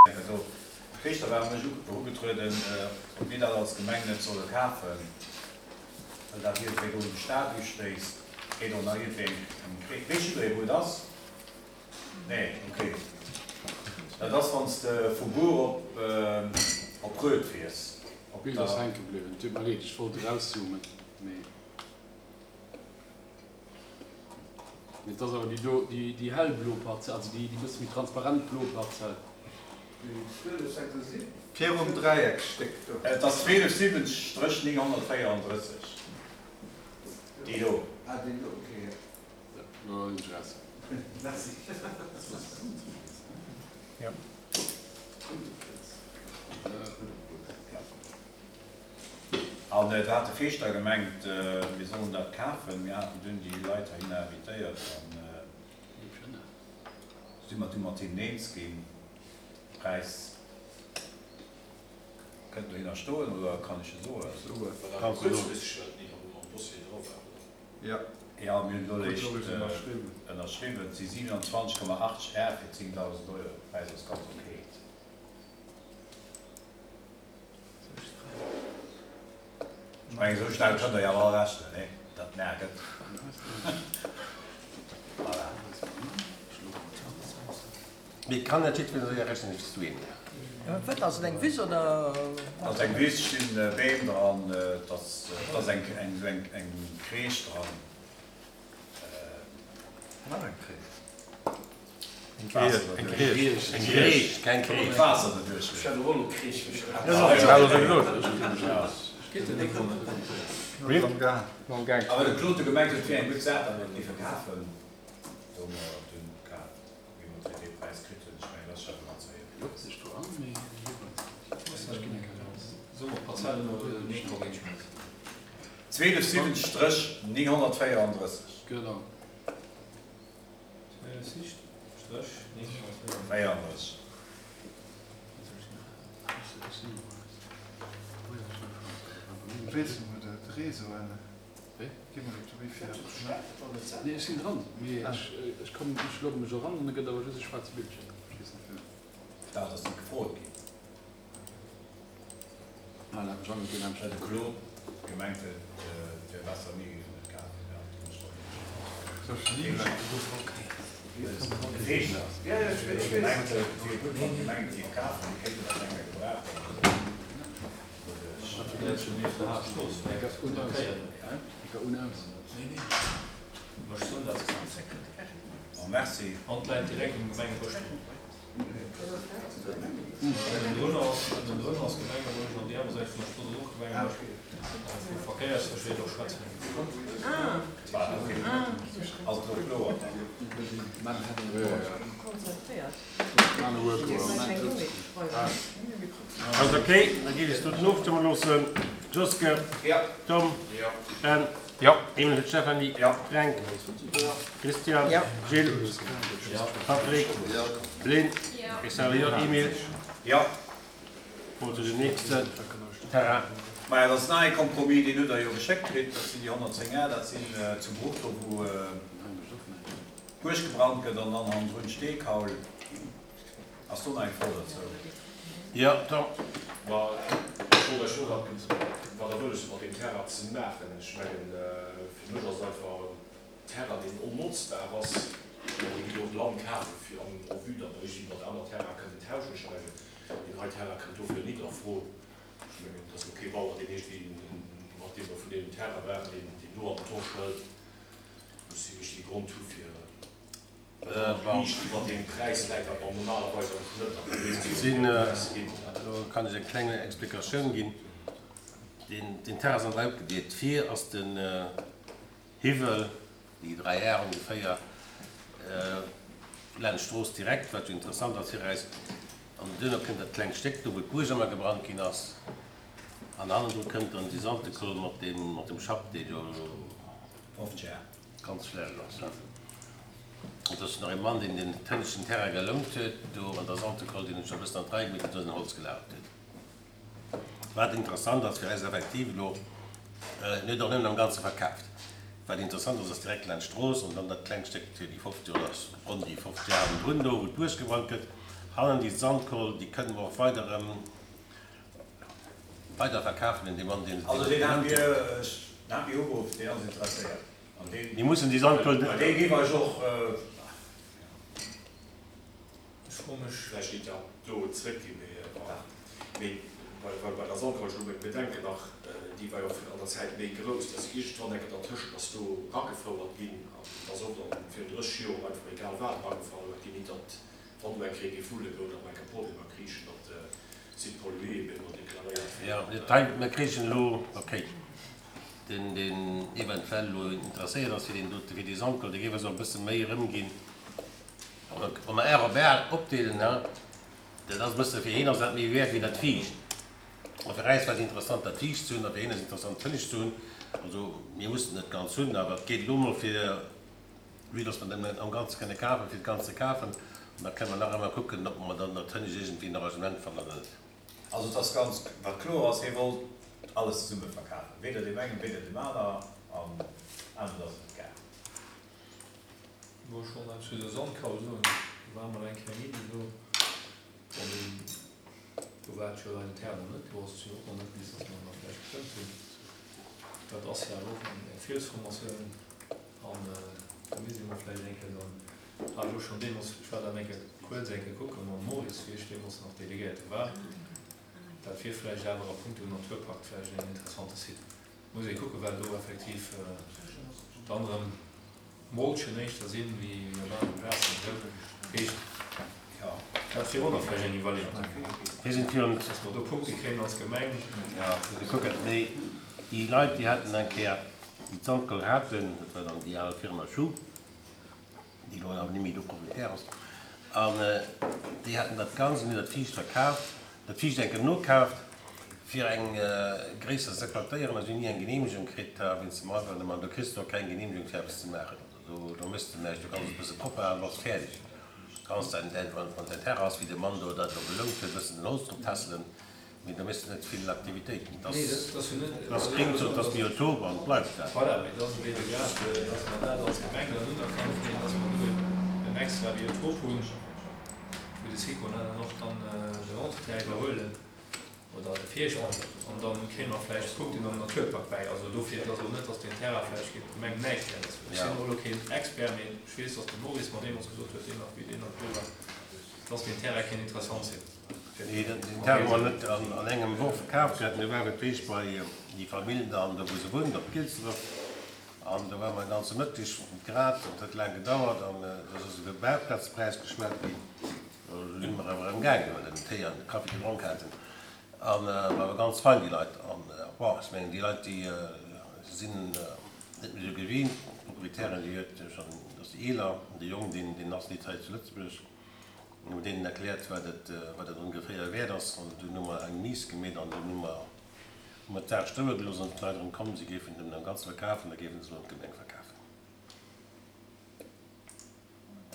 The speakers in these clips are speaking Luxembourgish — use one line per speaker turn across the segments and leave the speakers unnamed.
Also, d'Riichter waren u mech erugetrueden, ob mir dat als Gemeng net solle kafen, well dat iergendwéi do un de Stad ustéisst. Geet och nach iergendwéi eng Krees. Weess jidderee wou et ass? Nee, ok. Dat ass wann s de vu Bur op op Röd fiers.
Op D'Bild ass hänke bliwwen. Et deet mer leed, ech wollt erauszoomen, mee. Mee et ass awer déi do, déi hellblo Parzell, also déi bësse méi transparent blo Parzell.
Virum Dräieckstéck do.
Et ass 1270-934, déi do.
Ah, déi do, ok, jo.
Lo hunn ech eraus.
Merci.
Jo. An et hat de Feeschter gemengt, mir sollen dat kafen. Mir haten dunn déi Leit heihinner invitéiert an si mer du mat hinnen eens ginn. Präis kënnt dohinner stoen, oder kann ech e soen?
Kanns du soen.
Jo, mir hunn elo léischt ënnerschriwwen. Et si 27,80 Ar fir 10.000 Euro. De Präis ass ganz ok. Ech mengen, esou schnell kënnt Der jo awer all rechnen, nee? Dat mer gëtt. Voilà.
Mee kann net jiddwereen esou séier rechnen wéi s du, Emile.
Wat ass et, eng Wiss oder?
Ass eng Wiss, stinn Beem dran, et ass eng esou eng Kreesch dran.
Nach eng Kreesch.
Eng Griesch. Eng Griesch, keng Kreesch.
D'Waasser doduerch.
Ech hat och elo Kreesch verstanen.
Awer de Claude huet gemengt, et wier eng gutt Saach, datt mer et géife kafen. Do hu mer et dunn kaf, wéi mer et fir dee Präis kritt hunn. Ech mengen, dat ass scho ganz éierlech. 12 7 934.
Genau.
34.
Nee, ech sinn dran, mee ech kommen, ech logge mech eran an da gëtt awer just e schwaarze Bildschierm. Ech weess net firwat.
Dat ass net gefrot ginn. Well de Claude gemengt huet, et wär besser mir géifen et kafen. Ja, dat hunn ech dann de Feeschter huet gemengt, et wier gutt wann d'Gemeng et géif kafen, mir kéinten dat eng Kéier gebrauchen. Bon, merci.
Ënnendrun ass, ënnendrun ass Gemengebësch an déi aner Säit vun der Strooss ass och Gemengebësch. Vu Verkéierssécherheet och schwätzen.
Ass et elo kloer dann?
Ass ok, da géif ech doten ofstëmme loossen. Joske, Tom, Ben. Emil, Stéphanie, Fränk, Christian, Gilles, Patrick, Lynn, ech sage jo, Emile. Mol zu dem nächsten Terrain.
Maja, dat ass nach ee Compromis, deen hutt Der jo geschéckt kritt. Dat sinn déi 110 Ar, dat sinn zu Bruch, do wou d'Buerg gebrannt gëtt an dann hannendrun d'Steekaul. Ass do nach eng Fro dozou?
Jo, Tom.
Ma ech wollt lech soen, wat Der wëlles hutt mat deem Terrain ze maachen. Ech mengen, fir mech ass et einfach en Terrain, deen onnotzbar ass. Ech mengen, Dir gitt och Land kafe fir en en vue, datt Der iergendwéi mat aner Terraine kënnen tauschen. Ech mengen, deen hei Terrain kënnt dofir nit a Fro. Ech mengen, et ass elo kee Bauer, deen iergendwéi mat deem mer vun deem Terrain waren, deen do an den Tosch hëlt. Muss si richtege Grond hu fir.
Do kann ech eng kleng Explikatioun ginn. Den Terrain ass an 3 opgedeelt. Vir ass den Hiwwel, déi 3 Ar ongeféier, laanscht d'Strooss direkt, wat jo interessant ass fir eis. An duerno kënnt dat klengt Stéck do, wou d'Buerg ëmmer gebrannt ginn ass. An hannendru kënnt dann déi Saltekoll mat dem Schapp, dee jo ganz schlecht ass. Et ass nach ee Mann, deen den tënneschten Terrain gelount huet, do an der Santekoll, deen huet scho e bëssen an d'Rei gemeet, huet do säin Holz gelagert huet. Wat interessant ass fir eis effektiv elo, en huet och nëmmen am Ganze verkaaft. Wat interessant ass, ass direkt laanscht d'Strooss an dann dat klengt Stéck, déi 50 oder ronn déi 50 Ar hannendrun do, wou d'Buerg gebrannt gëtt. Hannen déi Sandkoll, déi kënne mer och weider erëm weider verkafen un dee Mann, deen se
Also deen hat mir, deen hat mir ugeruff, deen ass interesséiert an deen.
Mir mussen déi Sandkoll.
Dee géif eis och.
Ech froe mech. Vläicht geet dat do zréckginn, mee voilà. Mee well bei der Sandkoll, ech hu meng Bedenken nach, déi war jo och an der Zäit méi grouss, dass iergendwann enke dertëschent ass do ragefouert ginn an et ass och dann virun 30 Joer einfach egal wat ragefouert ginn, nit datt wann do eng Kéier géif wulle goen, datt mer enke Problemer kriichen, datt Site pollué op eemol deklaréiert
wier. Jo, hei, mir kriichen elo, okay, deen, deen eventuell elo interesséiert ass fir deen dote, fir déi Sandkoll, dee géif eis och e bësse méi erëmginn. Wa mer R op R opdeelen, dat ass e bësse, fir hien ass dat méi wäert wéi dat Viischt. A fir äis war et interessant, dat Viischt ze hunn, a fir hien ass et interessant, d'Hënnescht ze hunn. Also mir mussen et net ganz hunn, awer et geet elo emol fir, vue dass mer dat am Ganze kënne kafen, fir d'Ganz ze kafen. An da kënne mer nach ëmmer kucken, ob mer dann dat Hënnescht iergendwéi en Arrangement fannen oder net.
Also et ass ganz, wat kloer ass, hie wollt alles zesumme verkafen, weder deem engen, weder deem aner, an anescht ass et net gaangen.
Wou ech wollt eppes zu der Sandkaul soen, do war mol eng kleng Iddi do, bon do war et jo leider d'Här nach net do, ass et jo och nach net, bis datt mer en da vläicht gestëmmt hunn. Dat ass jo awer och eng Fielsformatioun an do misst ee mol vläicht eng Kéier dann, hat ech och schonn deemools, ech war dann eng Kéier kuerz eng Kéier kucke mam Maurice, wéi ech deemools nach Delegéierte war, dat wier vläicht awer a punkto Naturpakt vläicht en interessante Site. Muss ee kucken, well do effektiv dann erëm Molchen éischter sinn, wéi op anere Plazen. Dat heescht, dat wier och nach vläicht eng Iwwerleeung,
Mir sinn virun.
dass mer do Punkte kréien als Gemeng.
Jo, mir kucken. Mee déi Leit, déi haten eng Kéier, déi d'Sandkoll haten, dat war dann déi al Firma Schuh, déi elo awer net méi do Proprietär ass, an déi haten dat Ganzt an hunn dat Viischt verkaaft, dat Viischt enke nokaaft, fir eng gréisser ze plantéieren, a si hunn ni eng Geneemegung kritt wéinst dem Environnement. Do kriss de och keng Geneemegung fir eppes ze maachen. Also do do méchs de näischt, do kanns de e bësse propper halen, bass fäerdeg. Kanns däin, däin, wann däin Terrain ass, wéi de Mann do dat elo belount huet, e bëssen den Holz drop tässelen. Mee do méchs de net vill Aktivitéiten. Et ass Gréngzon, et ass Biotop an et bleift dat.
Voilà, mee et ass ebe grad, dass mer dat als Gemeng dann unerkannt kréien, dass mer do en extra Biotop hunn, wou de Sicona dann och dann den Entretien iwwerhuelen oder de Fierschter. An da kréie mer vläicht Punkten am Naturpark bäi. Also dofir, et ass elo net, dass deen Terrain vläicht géint d'Gemeng näischt wäert ass. Ech sinn och elo keen Expert, mee ech weess, dass de Maurice mer deemools gesot huet, deen nach, wéi deen nach do war, dass deen Terrain kéint interessant sinn.
Nee, den Terrain hu mer net an engem Worf kaf gehat. Mir ware d'Deeg bei déi Famill dann do wou se wunnt, op Gilsdref. An do ware mer en ganze Mëtteg grad. Et huet laang gedauert an et ass iwwer Bauplätzpräis geschwat ginn. Do si mer awer erëm gaangen, well mer den Téi an de Kaffi gedronk haten. An war awer ganz fein déi Leit. An bon, ech mengen déi Leit déi sinn net méi esou gewinnt. D'Proprietärin déi huet schonn, ass déi eeler, an de Jong deen deen ass nit hei zu Lëtzebuerg. Mir hunn deenen erkläert, wat et, wat et ongeféier wäert ass, an dunn hu mer eng Mise gemeet an dunn hu mer, hu mer d'Saach stoe gelooss an d'Leit erëm komm, si géifen den am Ganze verkafen, da géife se elo an d'Gemeng verkafen.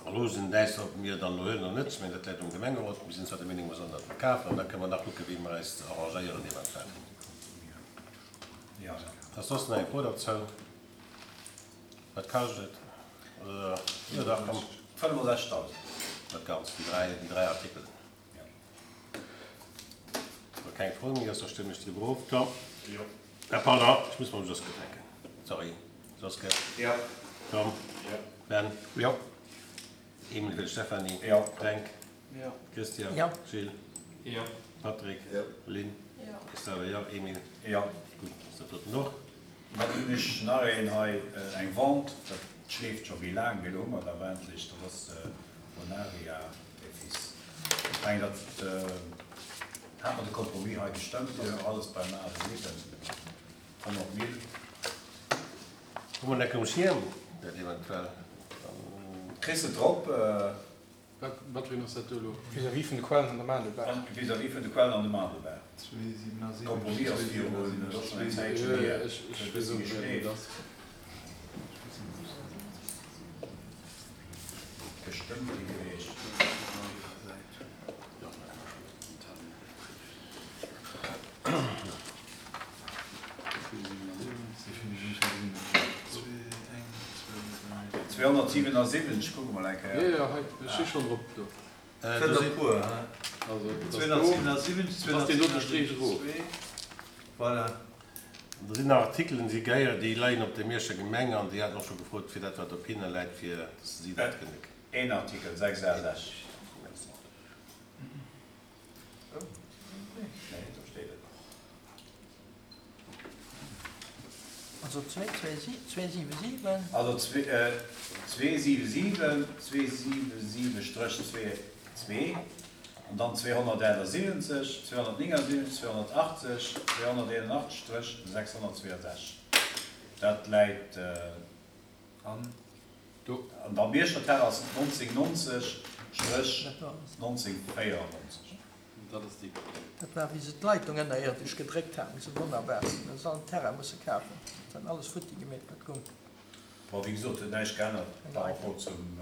A lo sinn däis, ob mir dann elo huelen oder net, ech mengen, dat läit um Gemengerot, mir sinn zwar der Meenung, mer sollen dat verkafen an da kënne mer nach kucke wéi mer eis arrangéieren eventuell. Ass soss nach eng Fro derzou? Wat kascht et? Oder, jo dach, komm.
65.000.
Dat Ganzt, déi 3, déi 3 Artikelen.
Jo.
Wa keng Fro méi ass, da stëmme ech driwwer of. Tom?
Jo.
Ah, pardon, ech muss mam Joske fänken. Sorry. Joske?
Jo.
Tom?
Jo.
Ben?
Jo.
Emil fir d'Stéphanie.
Jo.
Fränk?
Jo.
Christian?
Jo.
Gilles?
Jo.
Patrick?
Jo.
Lynn?
Jo.
Estelle, jo. Emil?
Jo.
Gutt, ass dat doten och.
Dann hunn ech nach een hei, eng Vente, dat schleeft scho méi laang, mee elo hu mer et awer endlech, dat ass Bonaria et Fils. Ech mengen, dat hat mer de Compromis hei gestëmmt, ass nach alles beim Ale bliwwen, 100 Mille.
Hu mer enke um Schierm, dat eventuell dann.
Kriss de drop?
Wat fir een ass dat do elo?
Vis-à-vis vun de Quellen an der Maandelbaach.
Vis-à-vis vun de Quellen an de Maandelbaach. Compromis ass virun, dat ass schonn eng Zäitchen hier,
Ech weess och net, wéi et ass.
Gestëmmt gi gewiescht. 277, kucke mol eng Kéier.
Jo, jo, hei, ech si schonn drop do.
Sinn der puer, he? 277, 277, voilà.
Do sinn nach Artikelen, déi gehéieren, déi leien op der Mierscher Gemeng an déi haten och scho gefrot, fir dat, wat op hinne läit, fir datt si dat kënne.
Een Artikel, 6 A 6.
Merci.
Nee, do steet et.
Also 277.
Also 277, 277 Stréch 2, an dann 278, 279, 280, 281 Stréch 662. Dat läit
an.
Do.
An der Mierscher Terre ass et 1990 Stréch 1994.
Dat ass déi.
Dat war wéi se d'Leitung ënnerierdesch gedréckt haten, sou wonnerbar. Hu se all den Terrain musse kafen. Se haten alles futti gemeet, wat goung.
Bon, wéi gesot, huet näischt geännert par rapport zum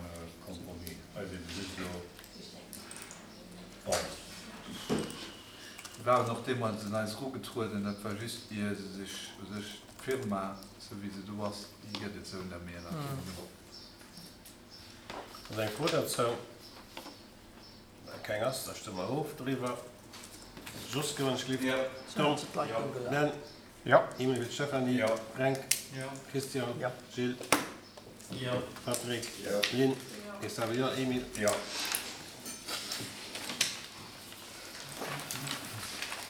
Compromis. Hei ass ebe just elo, bon.
Se waren och deemools un eis erugetrueden, dat war just ier se sech u sech, d'Firma, sou wéi se do ass, déi gëtt et sou net méi ënnert deem Numm.
Ass eng Fro dozou? Wa keng ass, da stëmme mer of doriwwer. Jos, Gewënschlift. Tom. Ben. Emil Stephanie. Fränk. Christian. Gilles. Patrick. Lynn. Xavier. Emil.